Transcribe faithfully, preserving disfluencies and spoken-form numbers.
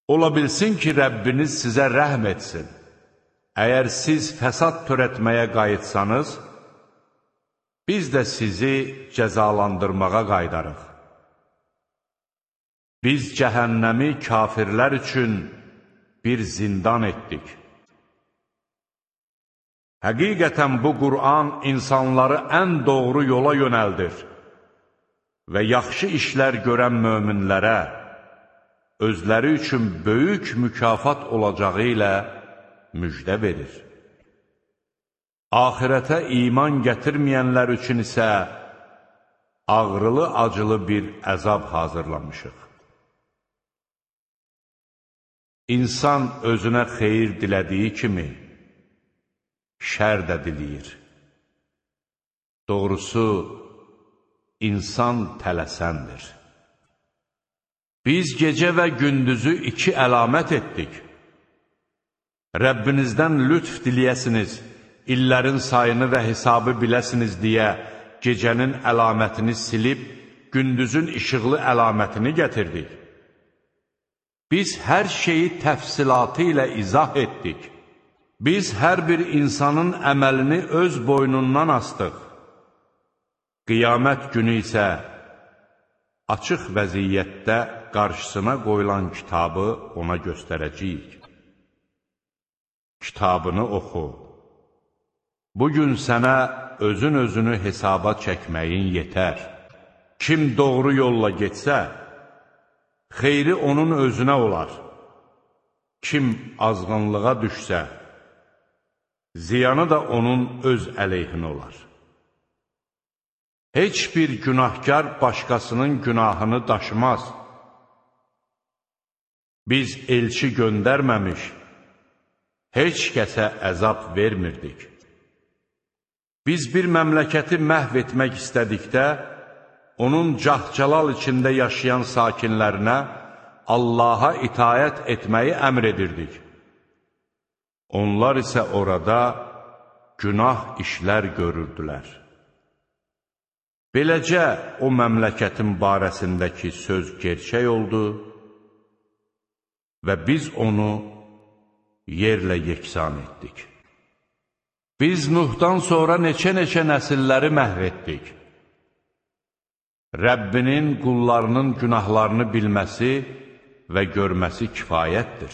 Ola bilsin ki, Rəbbiniz sizə rəhm etsin. Əgər siz fəsad törətməyə qayıtsanız, biz də sizi cəzalandırmağa qaydarıq. Biz cəhənnəmi kafirlər üçün bir zindan etdik. Həqiqətən bu Qur'an insanları ən doğru yola yönəldir və yaxşı işlər görən möminlərə özləri üçün böyük mükafat olacağı ilə müjdə verir. Ahirətə iman gətirməyənlər üçün isə ağrılı-acılı bir əzab hazırlamışıq. İnsan özünə xeyir dilədiyi kimi, şər də diləyir. Doğrusu, insan tələsəndir. Biz gecə və gündüzü iki əlamət etdik. Rəbbinizdən lütf diləyəsiniz, illərin sayını və hesabı biləsiniz deyə gecənin əlamətini silib, gündüzün işıqlı əlamətini gətirdik. Biz hər şeyi təfsilatı ilə izah etdik. Biz hər bir insanın əməlini öz boynundan astıq. Qiyamət günü isə açıq vəziyyətdə qarşısına qoyulan kitabı ona göstərəcəyik. Kitabını oxu. Bugün sənə özün özünü hesaba çəkməyin yetər. Kim doğru yolla getsə, xeyri onun özünə olar. Kim azğınlığa düşsə, ziyanı da onun öz əleyhinə olar. Heç bir günahkar başqasının günahını daşımaz. Biz elçi göndərməmiş, heç kəsə əzab vermirdik. Biz bir məmləkəti məhv etmək istədikdə, onun cah-calal içində yaşayan sakinlərinə Allaha itayət etməyi əmr edirdik. Onlar isə orada günah işlər görürdülər. Beləcə, o məmləkətin barəsindəki söz gerçək oldu və biz onu yerlə yeksan etdik. Biz Nuhdan sonra neçə-neçə nəsilləri məhv etdik. Rəbbinin qullarının günahlarını bilməsi və görməsi kifayətdir.